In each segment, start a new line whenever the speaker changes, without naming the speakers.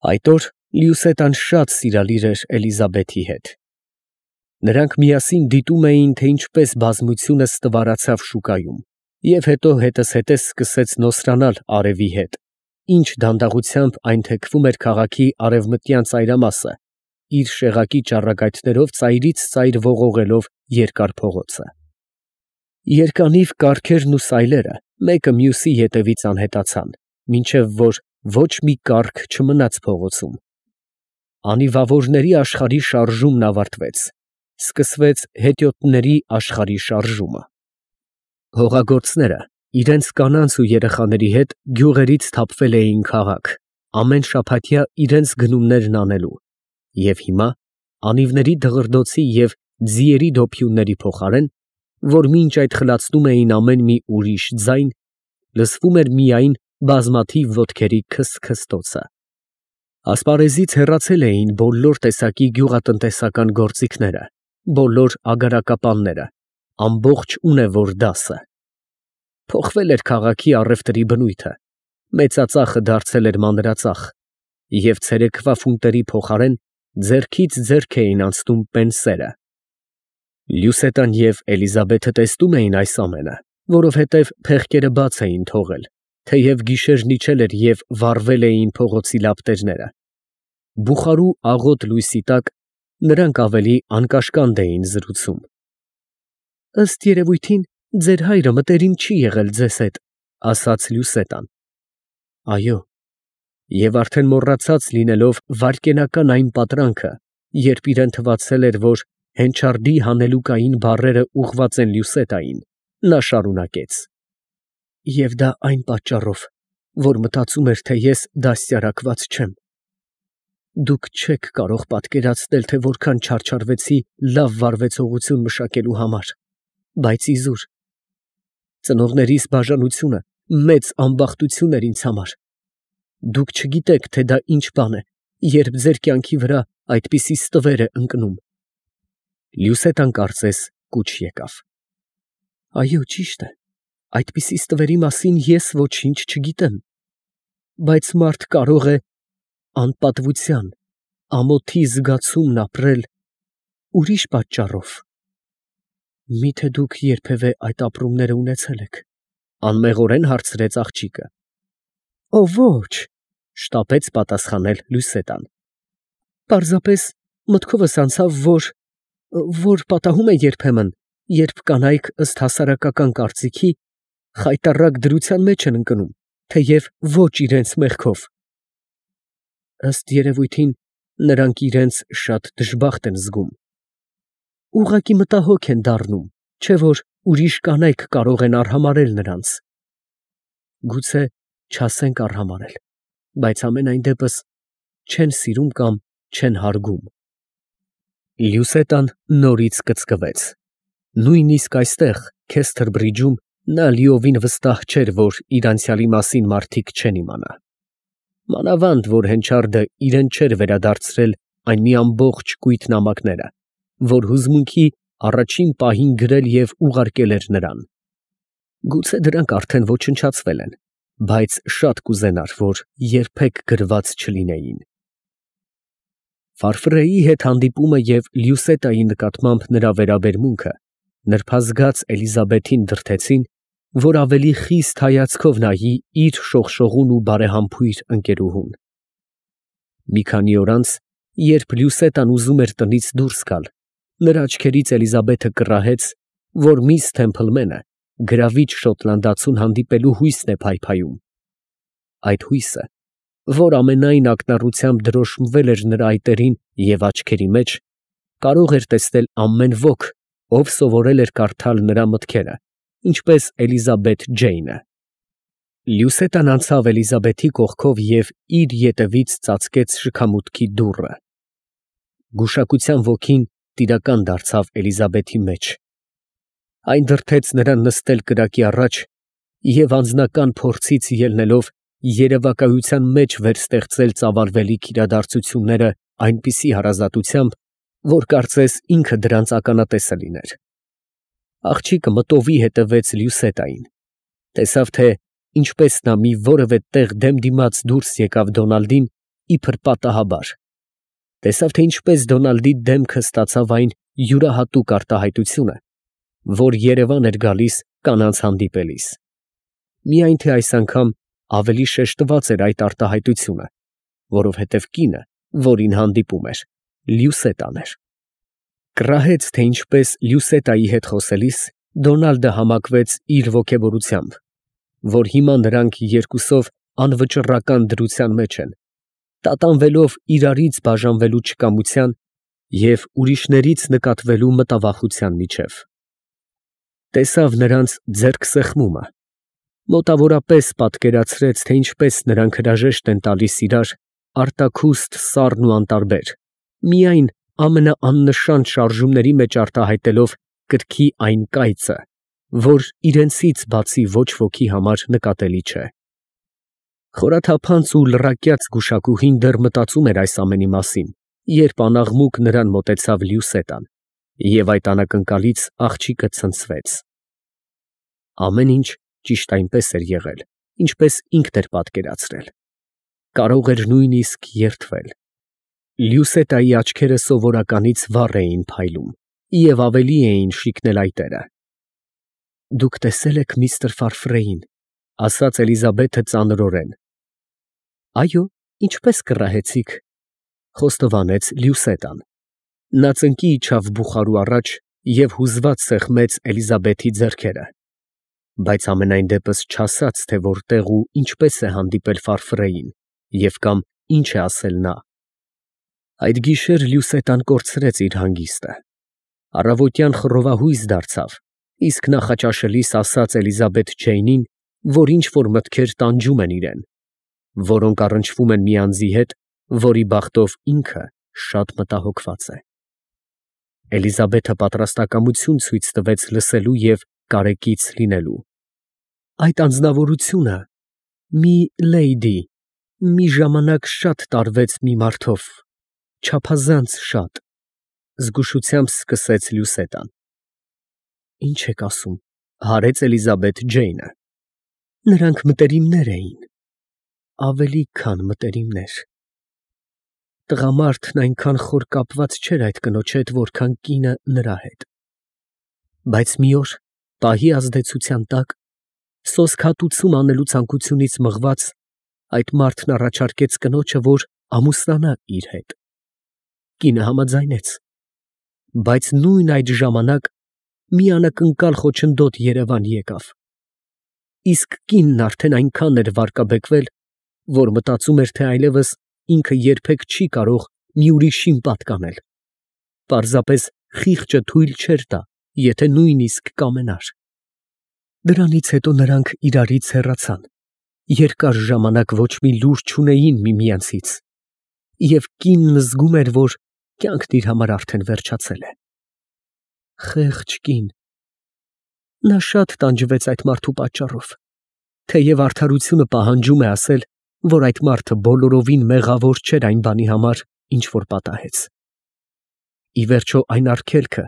Այդ օր Լյուսետան շատ սիրալիր էր Էլիզաբեթի հետ։ Նրանք միասին դիտում էին, թե ինչպես բազմությունը ստվարացավ շուկայում, և հետո հետզհետե սկսեց նոսրանալ արևի հետ, ինչ դանդաղությամբ այն թեքվում էր քաղաքի արևմտյան ծայրամասը, իր շեղակի ճառագայթներով ծայրից ծայր ողողելով երկար փողոցը։ Երկանիվ կառքերն ու սայլերը մեկը մյուսի ետևից անհետացան, մինչև որ ոչ մի կառք չմնաց փողոցում։ Անիվավորների աշխարհի շարժումն ավարտվեց, սկսվեց հետիոտների աշխարհի շարժումը։ Հողագործները իրենց կանանց ու երեխաների հետ գյուղերից թափվել էին քաղաք, ամեն շաբաթյա իրենց գնումներն անելու, և հիմա անիվների դղրդոցի և ձիերի դոփյունների փոխարեն, որ մինչ այդ խլացնում էին ամեն մի ուրիշ ձայն, լսվում էր միայն բազմաթիվ ոտքերի քսթքստոցը։ Ասպարեզից հեռացել էին բոլոր տեսակի գյուղատնտեսական գործիքները, բոլոր ագարակապանները, ամբողջ ունևոր դասը։ Փոխվել էր քաղաքի առևտրի բնույթը, մեծածախը դարձել էր մանրածախ, և ցերեկվա ֆունտերի փոխարեն ձեռքից ձեռք էին անցնում պենսերը։ Լյուսետան և Էլիզաբեթը տեսնում էին այս ամենը, որովհետև փեղկերը բաց էին թողել, թեև գիշերն իջել էր և վառվել էին փողոցի լապտերները։ Բուխարու աղոտ լույսի տակ նրանք ավելի անկաշկանդ էին զրուցում։ «Ըստ երևույթին, ձեր հայրը մտերիմ չի եղել ձեզ հետ», ֊ ասաց Լյուսետան։ ֊ Այո, և արդեն մոռացած լինելով վայրկենական այն պատրանքը, երբ իրան թվացել էր, որ հենչարդի հանելուկային բառերը ուղղված են Լյուսետային, նա շարունակեց. «Եվ դա այն պատճառով, որ մտածում էր, թե ես դաստիարակված չեմ։ Դուք չեք կարող պատկերացնել, թե որքան չարչարվեցի լավ վարվեցողություն մշակելու համար, բայց իզուր, ծնողներիս բաժանությունը մեծ ամբախտություն էր ինձ համար։ Դուք չգիտեք, թե դա ինչ բան է, երբ ձեր կյանքի վրա այդպիսի ստվեր է ընկնում»։ Լյուսետան կարծես կուչ եկավ։ «Այո, ճիշտ է, այդպիսի ստվերի մասին ես ոչինչ չգիտեմ, բայց մարդ կարող է անպատվության, ամոթի զգացումն ապրել ուրիշ պատճառով»։ «Մի՞թե դուք երբևէ այդ ապրումները ունեցել եք», ֊ անմեղորեն հարցրեց աղջիկը։ «Օ ոչ», ֊ շտապեց պատասխանել Լյուսետան։ «Պարզապես մտքովս անցավ, որ պատահում է երբեմն, երբ կանայք ըստ հասարակական կարծիքի խայտառակ դրության մեջ են ընկնում, թեև ոչ իրենց մեղքով։ Ըստ երևույթին, նրանք իրենց շատ դժբախտ են զգում։ Ուղղակի մտահոգ են դառնում, չէ՞ որ ուրիշ կանայք կարող են արհամարհել նրանց։ Գուցե չասենք արհամարհել, բայց համենայն դեպս չեն սիրում կամ չեն հարգում»։ Լյուսետան նորից կծկվեց։ Նույնիսկ այստեղ, Քեսթր բրիջում, նա լիովին վստահ չէր, որ իր անցյալի մասին մարդիկ չեն իմանա։ Մանավանդ որ հենչարդը իրեն չէր վերադարձրել այն մի ամբողջ կույտ նամակները, որ հուզմունքի առաջին պահին գրել և ուղարկել էր նրան։ Գուցե դրանք արդեն ոչնչացվել են, բայց շատ կուզենար, որ երբեք գրված չլինեին։ Ֆարֆրեի հետ հանդիպումը և Լյուսետայի նկատմամբ նրա վերաբերմունքը նրբազգաց Էլիզաբեթին դրդեցին, որ ավելի խիստ հայացքով նայի իր շողշողուն ու բարեհամբույր ընկերուհուն։ Մի քանի օր անց, երբ Լյուսետան ուզում էր տնից դուրս գալ, նրա աչքերից Էլիզաբեթը կռահեց, որ միս Թեմփլմենը գրավիչ շոտլանդացուն հանդիպելու հույսն է փայփայում։ Այդ հույսը, որ ամենայն ակնառությամբ դրոշմվել էր նրա այտերին և աչքերի մեջ, կարող էր տեսնել ամեն ոք, ով սովորել էր կարդալ նրա մտքերը, ինչպես Էլիզաբեթ Ջեյնը։ Լյուսետան անցավ Էլիզաբեթի կողքով և իր ետևից ծածկեց շքամուտքի դուռը։ Գուշակության ոգին տիրական դարձավ Էլիզաբեթի մեջ։ Այն դրդեց նրան նստել կրակի առաջ և անձնական փորձից ելնելով երևակայության մեջ վերստեղծել ծավալվելիք իրադարձությունները այնպիսի հարազատությամբ, որ կարծես ինքը դրանց ականատեսը լիներ։ Աղջիկը մտովի հետևեց Լյուսետային, տեսավ, թե ինչպես նա մի որևէ տեղ դեմ դիմաց դուրս եկավ Դոնալդին իբր պատահաբար։ Տեսավ, թե ինչպես Դոնալդի դեմքը ստացավ այն յուրահատուկ արտահայտությունը, որ Երևան էր գալիս կանանց հանդիպելիս։ Միայն թե այս անգամ ավելի շեշտված էր այդ արտահայտությունը, որովհետև կինը, որին հանդիպում էր, Լյուսետան էր։ Կռահեց, թե ինչպես Լյուսետայի հետ խոսելիս Դոնալդը համակվեց իր ոգևորությամբ, որ հիմա նրանք երկուսով անվճռական դրության մեջ են, տատանվելով իրարից բաժանվելու չկամության և ուրիշներից նկատվելու մտավախության միջև։ Տեսավ նրանց ձեռքսեղմումը, մոտավորապես պատկերացրեց, թե ինչպես նրանք հրաժեշտ են տալիս իրար, արտաքուստ, սառն ու անտարբեր, միայն ամենաաննշան շարժումների մեջ արտահայտելով կրքի այն կայծը, որ իրենցից բացի ոչ ոքի համար նկատելի չէ։ Խորաթափանց ու լռակյաց գուշակուհին դեռ մտածում էր այս ամենի մասին, երբ անաղմուկ նրան մոտեցավ Լյուսետան, և այդ անակնկալից աղջիկը ցնցվեց։ Ամեն ինչ ճիշտ այնպես էր եղել, ինչպես ինքն էր պատկերացրել։ Կարող էր նույնիսկ երդվել։ Լյուսետայի աչքերը սովորականից վառ էին փայլում և ավելի էին շիկնել այտերը։ «Դուք տեսե՞լ եք միստր Ֆարֆրեին», ֊ ասաց Էլիզաբեթը ծանրորեն։ «Այո, ինչպես կռահեցիք», ֊ խոստովանեց Լյուսետան։ Նա ծնկի իջավ բուխարու առաջ և հուզված սեղմեց Էլիզաբեթի ձեռքերը, բայց ամենայն դեպս չասաց, թե որտեղ ու ինչպես է հանդիպել Ֆարֆրեին և կամ ինչ է ասել նա։ Այդ գիշեր Լյուսետան կորցրեց իր հանգիստը։ Առավոտյան խռովահույս դարձավ, իսկ նախաճաշելիս ասաց Էլիզաբեթ Ջեյնին, որ ինչ֊որ մտքեր տանջում են իրեն, որոնք առնչվում են մի անձի հետ, որի բախտով ինքը շատ մտահոգված է։ Էլիզաբեթը պատրաստակամություն ցույց տվեց լսելու և կարեկից լինելու։ Այդ անձնավորությունը մի լեյդի մի ժամանակ շատ տարվեց մի մարդով, չափազանց շատ, զգուշությամբ սկսեց Լյուսետան։ Ինչ եք ասում, հարեց Էլիզաբեթ Ջեյնը։ Նրանք մտերիմներ էին, ավելի քան մտերիմներ։ Տղամարդն այնքան խոր կապված չէր այդ կնոջ հետ, որքան կինը նրա հետ։ Բայց մի օր, պահի ազդեցության տակ, սոսկ հատուցում անելու ցանկությունից մղված, այդ մարդն առաջարկեց կնոջը, որ ամուսնանա իր հետ։ Կինը համաձայնեց, բայց նույն այդ ժամանակ մի անակնկալ խոչընդոտ Երևան եկավ։ Իսկ կինն արդեն այնքան էր վարկաբեկվել, որ մտածում էր, թե այլևս ինքը երբեք չի կարող մի ուրիշին պատկանել։ Պարզապես խիղճը թույլ չէր տա, եթե նույնիսկ կամենար։ Դրանից հետո նրանք իրարից հեռացան, երկար ժամանակ ոչ մի լուր չունեին միմյանցից, և կինն զգում էր, որ կյանքն իր համար արդեն վերջացել է։ Խեղճ կին։ Նա շատ տանջվեց այդ մարդու պատճառով, թեև արդարությունը պահանջում է ասել, որ այդ մարդը բոլորովին մեղավոր չէր այն բանի համար, ինչ որ պատահեց։ Ի վերջո այն արգելքը,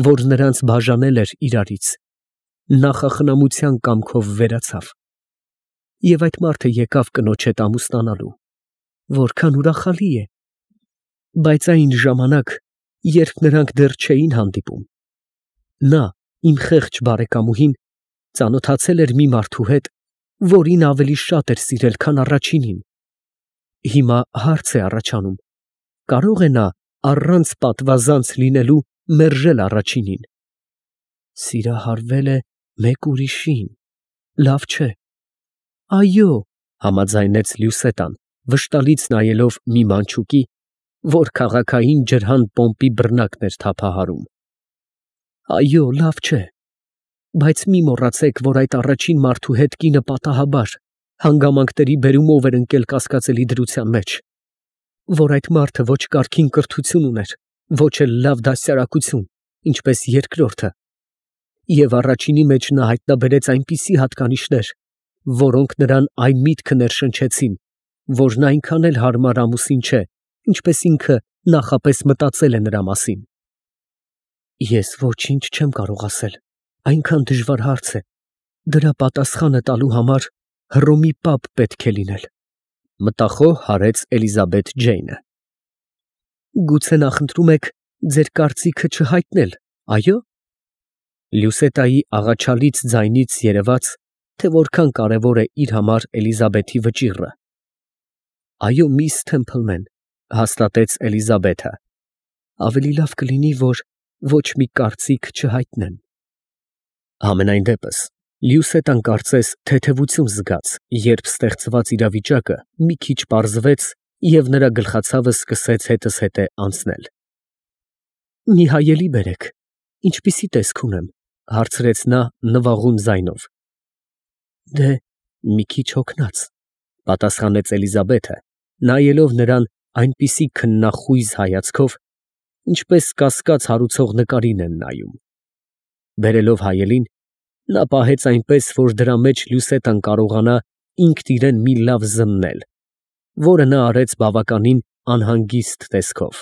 որ նրանց բաժանել էր իրարից, նախախնամության կամքով վերացավ, և այդ մարդը եկավ կնոջ հետ ամուսնանալու, որքան ուրախալի է, բայց այն ժամանակ, երբ նրանք դեռ չէին հանդիպում, նա, իմ խեղճ բարեկամուհին, ծանոթացել էր մի մարդու հետ, որին ավելի շատ էր սիրել, քան առաջինին։ Հիմա հարց է առաջանում. կարո՞ղ է նա առանց պատվազանց լինելու մերժել առաջինին։ Սիրահարվել է մեկ ուրիշին, լավ չէ։ Այո, համաձայնեց Լյուսետան, վշտալից նայելով մի մանչուկի, որ քաղաքային ջրհան պոմպի բռնակն էր թափահարում։ Այո, լավ չէ, բայց մի մոռացեք, որ այդ առաջին մարդու հետ կինը պատահաբար հանգամանքների բերումով էր ընկել կասկածելի դրության մեջ, որ այդ մարդը ոչ կարգին կրթություն ուներ, ոչ էլ լավ դաստիարակություն, ինչպես երկրորդը, և առաջինի մեջ նա հայտնաբերեց այնպիսի հատկանիշներ, որոնք նրան այն միտքը ներշնչեցին, որ նա այնքան էլ հարմար ամուսին չէ, ինչպես ինքը նախապես մտածել է նրա մասին։ Ես ոչինչ չեմ կարող ասել, այնքան դժվար հարց է, դրա պատասխանը տալու համար Հռոմի պապ պետք է լինել։ Մտախոհ հարեց Էլիզաբեթ Ջեյնը։ Գուցե նախընտրում եք ձեր կարծիքը չհայտնել, այո՞։ Լյուսետայի աղաչալից ձայնից երևաց, թե որքան կարևոր է իր համար Էլիզաբեթի վճիռը։ Այո, միս Թեմփլմեն, հաստատեց Էլիզաբեթը, ավելի լավ կլինի, որ ոչ մի կարծիք չհայտնեմ։ Համենայն դեպս, Լյուսետան կարծես թեթևություն զգաց, երբ ստեղծված իրավիճակը մի քիչ պարզվեց և նրա գլխացավը սկսեց հետզհետե անցնել։ Մի հայելի բերեք, ինչպիսի տեսք ունեմ, հարցրեց նա նվաղուն ձայնով։ Դե, մի քիչ հոգնած, պատասխանեց Էլիզաբեթը, նայելով նրան այնպիսի քննախույզ հայացքով, ինչպես կասկած հարուցող նկարին են նայում։ Բերելով հայելին, նա պահեց այնպես, որ դրա մեջ Լյուսետան կարողանա ինքն իրեն մի լավ զննել, որը նա արեց բավականին անհանգիստ տեսքով։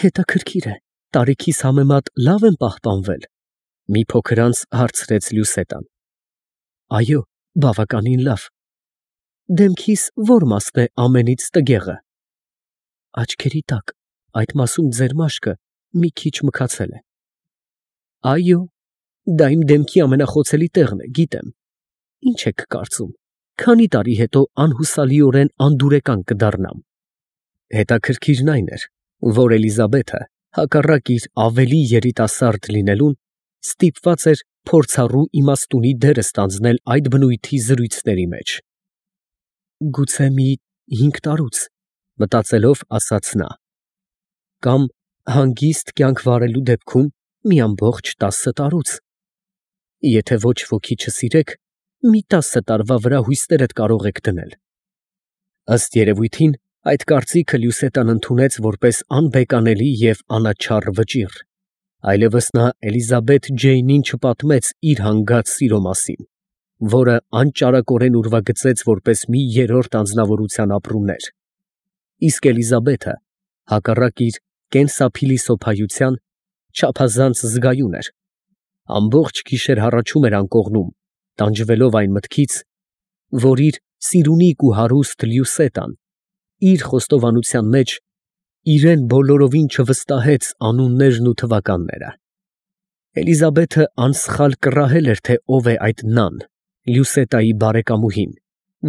Հետաքրքիր է, տարիքիս համեմատ լավ եմ պահպանվել, մի փոքր անց հարցրեց Լյուսետան։ Այո, բավականին լավ։ Դեմքիս ո՞ր մասն է ամենից տգեղը։ Աչքերի տակ, այդ մասում ձեր մաշկը մի քիչ մքացել է։ Այո, դա իմ դեմքի ամենախոցելի տեղն է, գիտեմ։ Ինչ եք կարծում, քանի տարի հետո անհուսալիորեն անդուրեկան կդառնամ։ Հետաքրքիրն այն էր, որ Էլիզաբեթը, հակառակ իր ավելի երիտասարդ լինելուն, ստիպված էր փորձառու իմաստունի դերը ստանձնել այդ բնույթի զրույցների մեջ։ Գուցե մի 5 տարուց, մտածելով ասաց նա, կամ հանգիստ կյանք վարելու դեպքում մի ամբողջ 10 տարուց։ Եթե ոչ ոքի չսիրեք, մի 10 տարվա վրա հույսներդ կարող եք դնել։ Ըստ երևույթին, այդ կարծիքը Լյուսետան ընդունեց որպես անբեկանելի և անաչառ վճիռ, այլևս նա Էլիզաբեթ Ջեյնին չպատմեց իր հանգած սիրո մասին, որը անճարակորեն ուրվագծեց որպես մի երրորդ անձնավորության ապրումներ, իսկ Էլիզաբեթը, հակառակ իր կենսափիլիսոփայության, չափազանց զգայուն էր, ամբողջ գիշեր հառաչում էր անկողնում, տանջվելով այն մտքից, որ իր սիրունիկ ու հարուստ Լյուսետան իր խոստովանության մեջ իրեն բոլորովին չվստահեց անուններն ու թվականները։ Էլիզաբեթը անսխալ կռահել էր, թե ով է այդ նան, Լյուսետայի բարեկամուհին,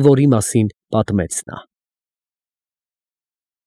որի մասին պատմեց նա։